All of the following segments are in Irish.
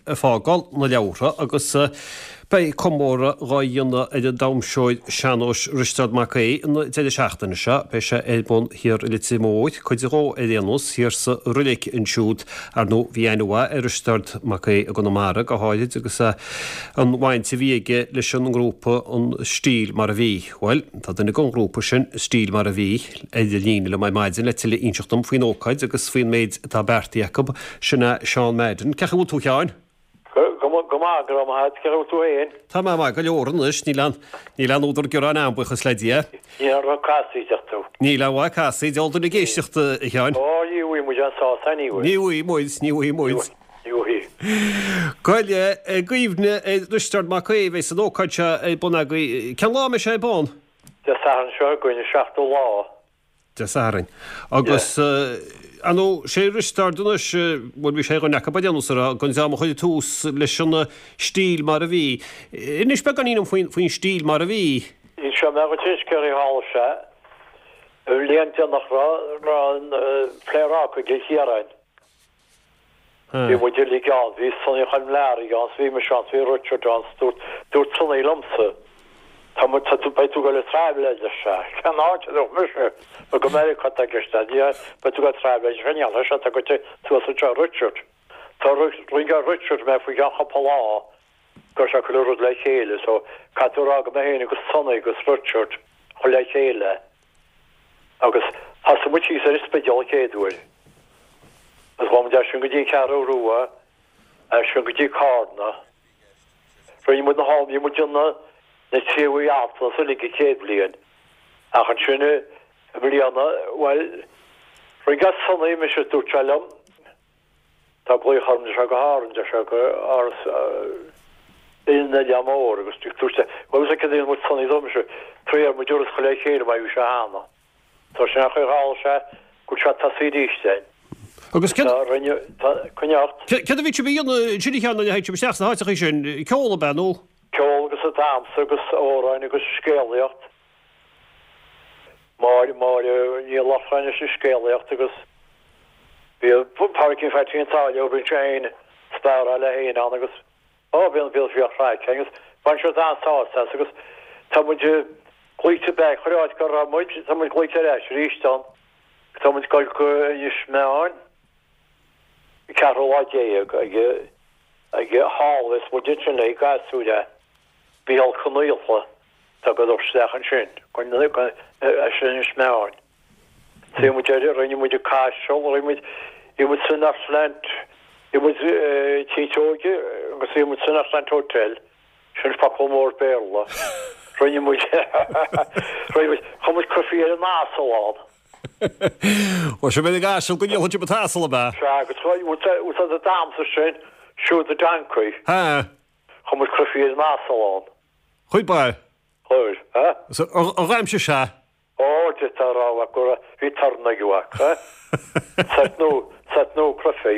ag fágáil na leabhartha agus beidh comóradh dhá dhéanamh ar an damhsóir sean-nóis Risteard Mac Aodha an deireadh seachtaine seo. Beidh sé ar bun thiar i Leitir Móir, cuid dhó ar aon nós, thiar sa Roilig ansiúd. Ar ndóigh bhí aithne mhaith ar Risteard Mac Aodha i gConamara go háirid agus an bhaint a bhí aige leis an ngrúpa An Stíl Mar a Bhí. Bhuel, tá duine den ghrúpa sin, Stíl Mar a Bhí, ar an líne liom ar maidin le tuilleadh a inseacht dom faoin ócáid agus faoin méid atá beartaithe acu. Sin é Seán Madden. Cén chaoi a bhfuil tú, a Sheáin? Go maith, go raibh maith agat. Cén chaoi a bhfuil tú féin? Tá mé maith go leor anois. Níl aon, níl aon údar gearáin agam, buíochas le Dia. Níl aon rud casaoid ach tú. Níl aon mhaith casaoid, diabhal duine ag éisteacht, a Sheáin. Ó, ní bhfaighidh muid aon sásamh, ní bhfaighidh. Ní bhfaighidh muid, ní bhfaighidh muid. Ní bhfaighidh. Gabh i leith, i gcuimhne ar Risteard Mac Aodha a bheas an ócáid seo ar bun agaibh. Cén lá a mbeidh sé ar bun? Dé Sathairn seo chugainn, an seachtú lá. Dé Sathairn. Agus, ar ndóigh, sé Risteard anois, bhuel bhí sé ar dhuine acu ar aon nós, den dream a chuir tús leis an stíl mar a bhí. Inis beagáinín dom faoin stíl mar a bhí. Inseoidh mé dhuit anois céard a tharla sé. An bhliain déanach raibh an Pléaráca i gCill Chiaráin. Bhí muid uilig ann, bhí Sonny Choilm Learaí ann, bhí mise ann, bhí Richard ann, dúirt, dúirt Sonny liomsa, tá muid, tá tú, beidh tú ag dul ag traibhléid ar sé. Cén áit a dúirt mise, nó go Meiriceá atá i gceist, ní, beidh tú ag dul ag traibhléid, ar sé, níl, ar sé, tá goite suas anseo Richard. Tá rinne Richard mé faoi cheann cúpla lá go raibh sé ag cur rud le chéile, so caithfidh tú a rá go mé féin agus Sonny agus Richard chur le chéile. Agus thosaigh muid thíos ar an Spidéal an chéad uair. Agus ghabh muid as sin go dtí an Cheathrú Rua, as sin go dtí Cárna. Rinne muid na hál, bhí muid ina na craobhacha altranais uilig an chéad bhliain. Ach ansin i mbliana, bhuel, rinne Sonny mise, dúirt sé liom, Tá glaoch orm deir sé go hÁrainn, deir sé go Áras an Oileáin Mhóir agus dúirt sé, bhuel is céard a dhéanann muid Sonny dúirt mise, tar ar muid turas a chur le chéile mar a bhí sé cheana. Tá sin ar chaoi ghabháil sé go bhfuil sé tosaí arís den. Agus céard. Tá rinne, tá, coinneáil ort. Céard a bhí sibh a dhéanamh ansin a Sheáin nuair a théid sibh isteach sna háiteachaí sin, ceol ab ea nó? Ceol agus damhsa agus amhráin agus scéalaíocht. Máire, Máire Ní Lochlainn leis an scéalaíocht agus bhí Pádraicín Phaitsí an tSáile, bhí sé féin sparáil leis féin ann agus ó bhí an bhí bhí chraic agus bhain siad an-sásamh as agus tá muid glaoite back chuile áit go raibh muid, tá muid glaoite ar ais arís ann. Tá muid ag dul go Inis Meáin an ceathrú lá déag ag ag thall is muid ansin le gasúir é Mícheál Ó Conaola. Tá go dul isteach ansin, as Inis Meáin. Bhí muid ar, rinne muid an Caiseal, rinne muid, bhí muid san Northland, bhí muid Tí Seoige agus bhí muid san Northland Hotel, sin focal mór Béarla. Rinne muid, rinne muid, chuir muid cruifí ar an asal ann. Bhuel, sin an asal go ndíolfaidh sibh an t-asal, ab ea? Sea, agus úsáid an damhsa sin, Shoot the Donkey. Ha. Chuir muid cruifí ar an asal ann. Chuir ba. Chuir, ha? Ar dhaimhsigh sé? Ó, d'fhéadfá a rá, a mhac, go raibh, bhí torann aige, a mhac, ha? Sort nó, sort nó cruifí.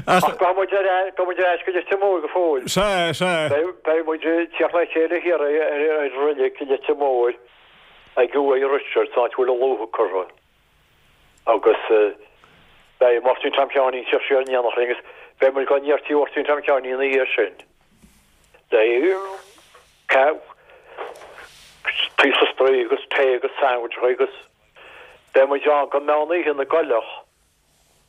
Ach. Ach gabhfaidh muid ar ais, gabhfaidh muid ar ais go Leitir Móir go fóill. Sea, sea. Beidh, beidh muid ag tíocht le chéile thiar ar, ar, ar reilig i Leitir Móir ag uaigh Richard, san áit a bhfuil a luaith curtha. Agus beidh Máirtín Tom Sheáinín ag tíocht siar in éineacht linn agus beidh muid ag dul aniar tí Mháirtín Tom Sheáinín ina dhiaidh sin. Le píosa spraoi agus tae agus sandwicheacha agus beidh muid ann go meán oíche na gcoileach.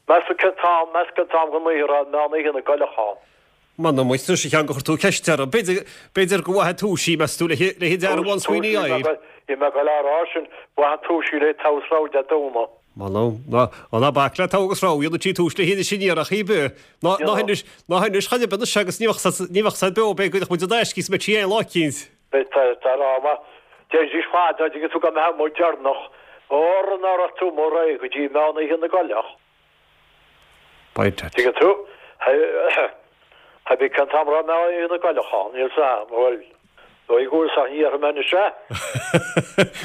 Meas tú cén t-am, meas cén t-am den oíche a raibh meán oíche na gcoileach ann? M'anam duit anois a Sheáin gur chuir tú ceist orm. B'fhéidir, b'fhéidir go bhfaigheadh túis í, meas tú, le hIdearbhán Sweeney Isle. Bhí mé ag dul a rá sin, bhfaigheadh túis í le togha agus rogha Dé Domhnaigh. M'anam, ná, ná bac le togha agus rogha, dhéanadh sí túis le hInis Aniar ach í beo. Ná, ná hinis, ná hinis chor ar bith anois agus ní bheadh said, ní bheadh said beo, b'fhéidir go mbeadh muid in aisce is mbeadh sí aon lá eicínt. Beidh tá rá maith. Deiridís fad, dá dtuigeann tú go mbeadh muid deireanach, óra ná raibh tú amuigh réidh go dtí meán oíche na gcoileach. B'fhéidir. Tuigeann tú? Hé bith cén t-am a raibh meán oíche na gcoileach ann, níl 's a'm, bhuel, dóigh go bhfuil 's ach ní dhéarfaidh mé anois é.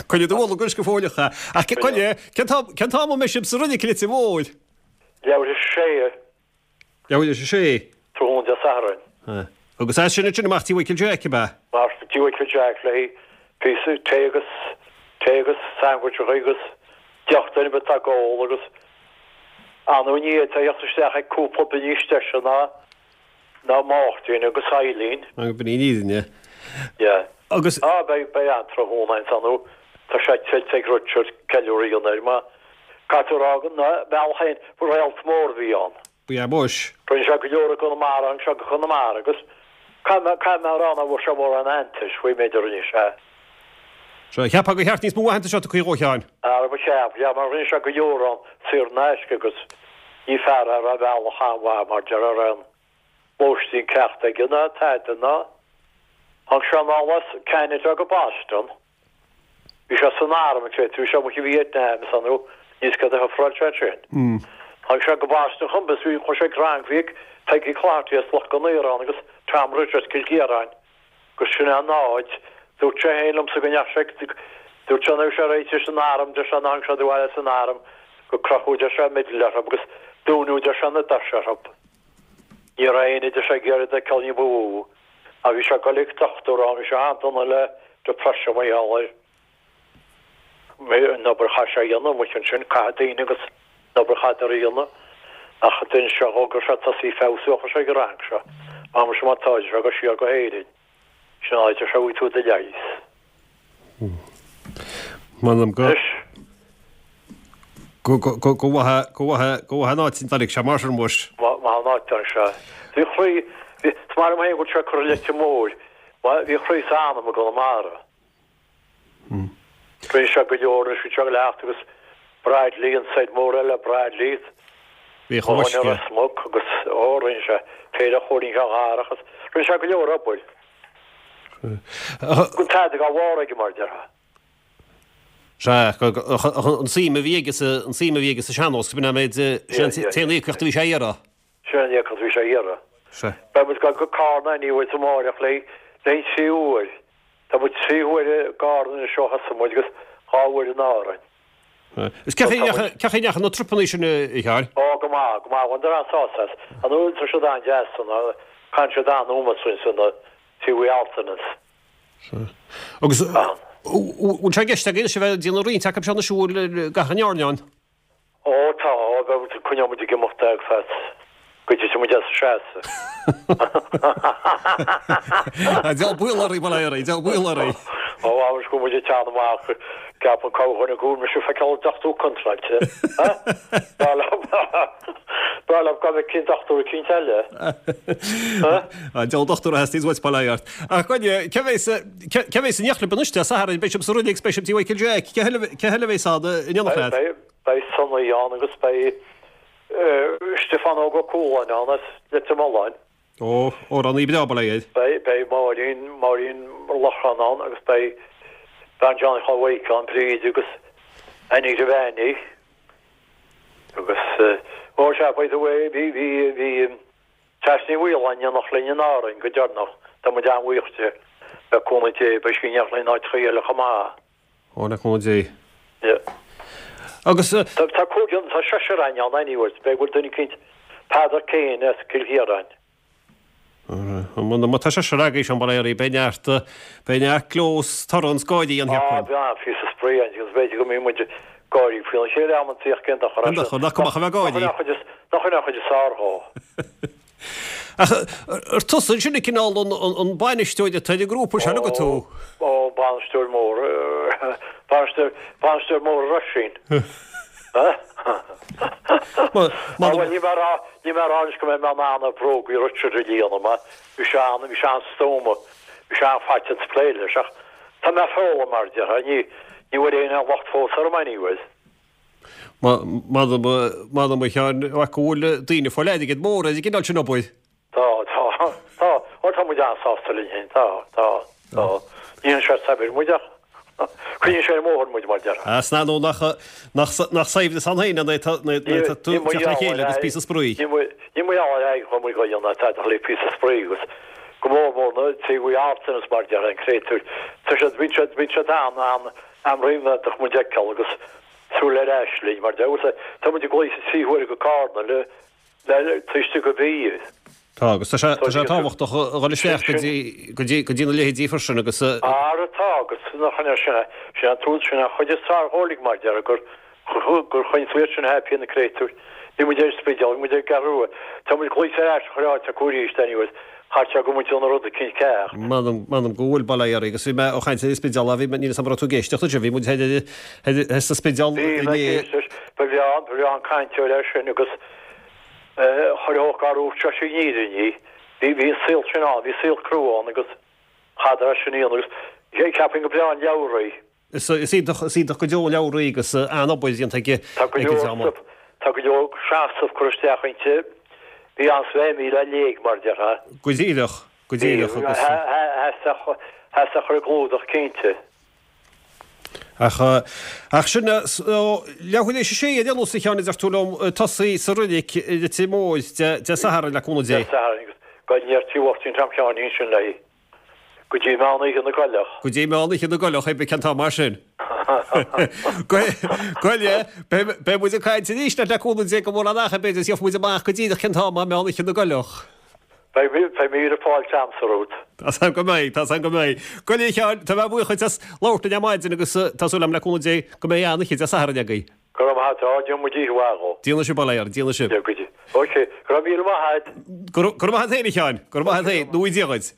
Coinnigh do bholg anois go fóilleach é. Ach coinne, cén t-am, cén t-am a mbeidh sibh sa reilig i Leitir Móir? Leathuair théis a sé. Leathuair théis a sé. Tráthnóna Dé Sathairn. Agus as sin ansin amach tí Mhichael Jack, ab ea? Amach tí Mhichael Jack le píosa tae agus tae agus sandwicheacha agus deoch duine ar bith atá ag ól agus. Ar ndóigh ní fhéadfá a theacht isteach ag cúpla duine níos deise ná ná Máirtín agus Eileen. Agus b'in í an fhírinne. Yeah. Agus. Ah, beidh, beidh an-tráthnóna ann, ar ndóigh tá sé tuillte ag Richard ceiliúradh a dhéanamh air mar caithfidh tú a rá go na bealach féin, réalt mór a bhí ann. Ba ea muis. Rinne sé go leor i gConamara, tháinig sé go Conamara agus caithfidh mé, caithfidh mé a rá nach bhfuair sé mórán aitheantais faoin méid a rinne sé. Sea, cheapfá gur cheart níos mó aitheantais a tugtha dhó, a Sheáin. Ara ba cheart, yeah, mar rinne sé go leor ann saor in aisce agus ní fear é a raibh bealach an-mhaith mar déarfá a raibh aon lóistín ceart aige ná tada ná. Tháinig sé anall as Ceanada go Boston. Bhí sé san arm ansin, bhí sé amuigh i Vietnam is ann, níos céard a shufráil sé ansin. Tháinig sé go Boston chun bhí chuaigh sé ag rang, bhí ag Peggy Cloherty as Loch an Iarainn agus Tom Ridge as Cill Chiaráin agus sin é an áit. Dúirt sé féin liomsa go ndeachaigh sé, dúirt sé nuair a bhí sé réitithe leis an arm, deir sé nár tháinig sé abhaile as an arm go crochadh deir sé meideal orthu agus dúnadh deir sé na doirse orthu. Ní raibh éinne deir sé ag iarraidh iad a fheiceáil ní ba mhó. Ach bhí sé ag goil ag dochtúir ann, bhí sé an-dona le depression mar gheall ar an obair a chaith sé a dhéanamh amuigh ansin, caitheamh daoine agus an obair a chaitheadar a dhéanamh. Ach d'inis sé dhó go raibh sé ag tosaí feabhsú ó chuaigh sé ag an rang seo. Mar sin má tá sé go siar go hÉirinn. Sin an áit a bhfaighidh tú do leigheas. M'anam go. Anois. Go, go, go, go mhaith, go mhaith, go mhaith an áit a dtáinig sé mar sin muis. Maith an áit a dtáinig sé. Bhí a chroí, bhí, is maith liom féin go bhfuil sé curtha Leitir Móir, bhí a chroí is a anam i gConamara. Rinne sé go leor anois, bhí sé ag leacht agus Bradley, an said mór eile, Bradley. Bhí chomh uisce. Ros Muc agus, ó, rinne sé péire Chóilín Cheallach agus rinne sé go leor obair. Gan tada dá bharr aige mar a déarfá. Sea, an suim a bhí aige sa, an suim a bhí aige sa sean-nós, b'in an méid, sin an t-aon íocaíocht a bhí sé a iarraidh. Sin an íocaíocht a bhí sé a iarraidh. Sea. Beidh muid ag dul go Carna anyways amáireach le an tríú huair. Tá muid trí huaire i gCarna anois ó thosaigh muid agus 2 uair in Árainn. Is cén chaoi a ndeachaigh na trupannaí sin, a Sheáin? Ó, go maith, go maith. Bhaineadar an-sásamh as. Ar ndóigh, tá siad an-deas, caitheann siad an-ómós dúinn san TV Altanas. Agus bhfuil sé i gceist agaibh anois a bheith ag déanamh roinnt acu seo anois an bhfuil gach an airneán? Ó tá, coinneoidh muid ag imeacht ar feadh go dtitfidh muid as a seasamh. Diabhal baol oraibh, bail ó Dhia oraibh, diabhal baol oraibh. Ó, abair go bhfuil muid ag teann amach, ceapann corrdhuine go bhfuil mise ag feiceáil an dochtúir contráilte. B'fhearr liom, b'fhearr liom gan bheith cinn dochtúir eicínt eile. Diabhal dochtúir a theastaíonns uait, bail ó Dhia ort. Ach Gráinne, cé bheas, cé bheas in éineacht libh anois Dé Sathairn? Beidh sibh sa Roilig, beidh sibh tí Mhichael Jack. Cé eile, cé eile a bheas ann in éineacht leat? Beidh, beidh Sonny ann agus beidh Stiofán Óg Ó Cualáin ann as Leitir Mealláin. Ó, amhránaí breá, bail ó Dhia air. Beidh, beidh Máirín, Máirín Loughran ann agus beidh bean Johnny Chóil Mhaidhc ann, Bríd agus Annie Devaney. Agus, ó sea, by the way, bhí, bhí, bhí, Treasa Ní Mhaoláin in éineacht linn in Árainn go deireanach. Tá muid an-bhuíoch di. Le cúnamh Dé, beidh sí in éineacht linn in áiteachaí eile chomh maith. Ó, le cúnamh Dé. Yeah. Agus. Tá, tá cúigear, tá seisear againn ann anyways, b'fhéidir go bhfuil duine eicínt, Peadar Kane as Cill Chiaráin. Má tá seisear agaibh, Seán bail ó Dhia oraibh, beidh neart, beidh neart gleo 's torann 's gáirí ann, cheapfainn. Ah, beidh an-phíosa spraoi ann agus b'fhéidir go mbeidh muid ag gáirí faoina chéile amantaí ach cén dochar é sin. Cén dochar, nach cuma ach a bheith ag gáirí. Nach in an chuid is fearr dhó. Ach ar tusa ansin an cineál an bainisteoir atá ar an ngrúpa sin agat tú? Ó, bainisteoir mór, bainisteoir, bainisteoir mór a Róisín. Bhuel, níl mé a rá, níl mé a rá anois go mbeidh mé in ann na brógaí Richard a líonadh mar bhí sé an, bhí sé an-stuama, bhí sé an-fhaiteach plé leis ach tá mé ag foghlaim mar a déarfá, ní, ní bhfuil aon locht fós orm anyways. M'anam, m'anam a Sheáin, go bhfuil daoine ag fáil airgead mór ar an gcineál sin obair. Tá, tá, tá, ó tá muid an-sásta linn féin, tá, tá, tá. Ní dhéanann sé saibhir muid ach coinníonn sé ar an mbóthar muid, mar a déarfá. Is ar ndóigh nach, nach, nach saibhreas ann féin é nuair atá tú ag teacht le chéile agus píosa spraoi. Ní mar gheall ar airgead atá muid ag dul ná tada ach le píosa spraoi agus go mór mór na TV Arts mar a déarfá, an créatúir. Tá siad, bíonn siad, bíonn siad an, an, an-ríméadach muid a fheiceáil agus súil ar ais linn, mar a déarfá. Tá muid ag dul sa tríú huair go Carna le, le taobh istigh de mhí. Tá, agus tá sé, tá sé tábhachtach a dhul isteach go dtí, go dtí, go dtí na leithéidí freisin agus. Ara tá, agus nach ea, sin é, sin é an trua, sin é an chuid is fearr dhó uilig mar a déarfá, gur, gur choinnigh tú iad sin happy na créatúir. Bhí muid ar an Spidéal, bhí muid ar an gCeathrú Rua. Tá muid glaoite ar ais chuile áit acu arís anyways. Chaithfeadh sé go bhfuil muid ina rud eicínt ceart. M'anam, m'anam go bhfuil, bail ó Dhia oraibh. Agus bhí mé ag caint ar an Spidéal, bhí mé, níl 'fhios a'm an raibh tú ag éisteacht ansin, bhí muid thoir ar, ar, sa Spidéal Bhí mé ag éisteacht, ba bhreá, ba bhreá an cainteoir é sin agus chuir ó gar úr seo sin an fhírinne í. Bhí, bhí an saol sin ann, bhí saol crua ann agus chaitheadar é sin a dhéanamh agus cheapfainn gur breá an leabhar í. Is iontach, is iontach go deo an leabhar í agus an-obair déanta aige Tá go leor, tá go leor seasamh curtha isteach inti. Bhí an-suim í le léamh, mar a déarfá. Go díreach, go díreach agus. Theastaigh chur i gclúdach cinnte. Ach, ach sin, leathuair théis a sé ar aon nós a Sheáin a deir tú liom, tosaí sa reilig i Leitir Móir Dé Sathairn le cúnamh Dé. Dé Sathairn agus go ndéarfaí uachtar an t-am Sheáinín sin léi. Go dtí meán oíche na gcoileach. Go dtí meán oíche na gcoileach, hé cén t-am mar sin. Goile, beidh muid ag caint arís leat le cúnamh Dé go mórán ach b'fhéidir is gheobhaidh muid amach go díreach cén t-am é meán oíche na gcoileach. Beidh míle fáilte a'msa romhat. Tá's a'm go mbeidh, tá's a'm go mbeidh. Goile a Sheáin, tá mé buíoch dhuit as labhairt linn ar maidin agus tá súil a'm le cúnamh Dé go mbeidh an-oíche Dé Sathairn agaibh. Go raibh maith a'd, déanfaidh muid oíche mhaith dhó. Déanfaidh sibh, bail ó Dhia oraibh, déanfaidh sibh. Ok, go raibh míle maith a'd. Go raibh maith a'd féin a Sheáin, go raibh maith a'd féin, go ngnóthaí Dia dhuit.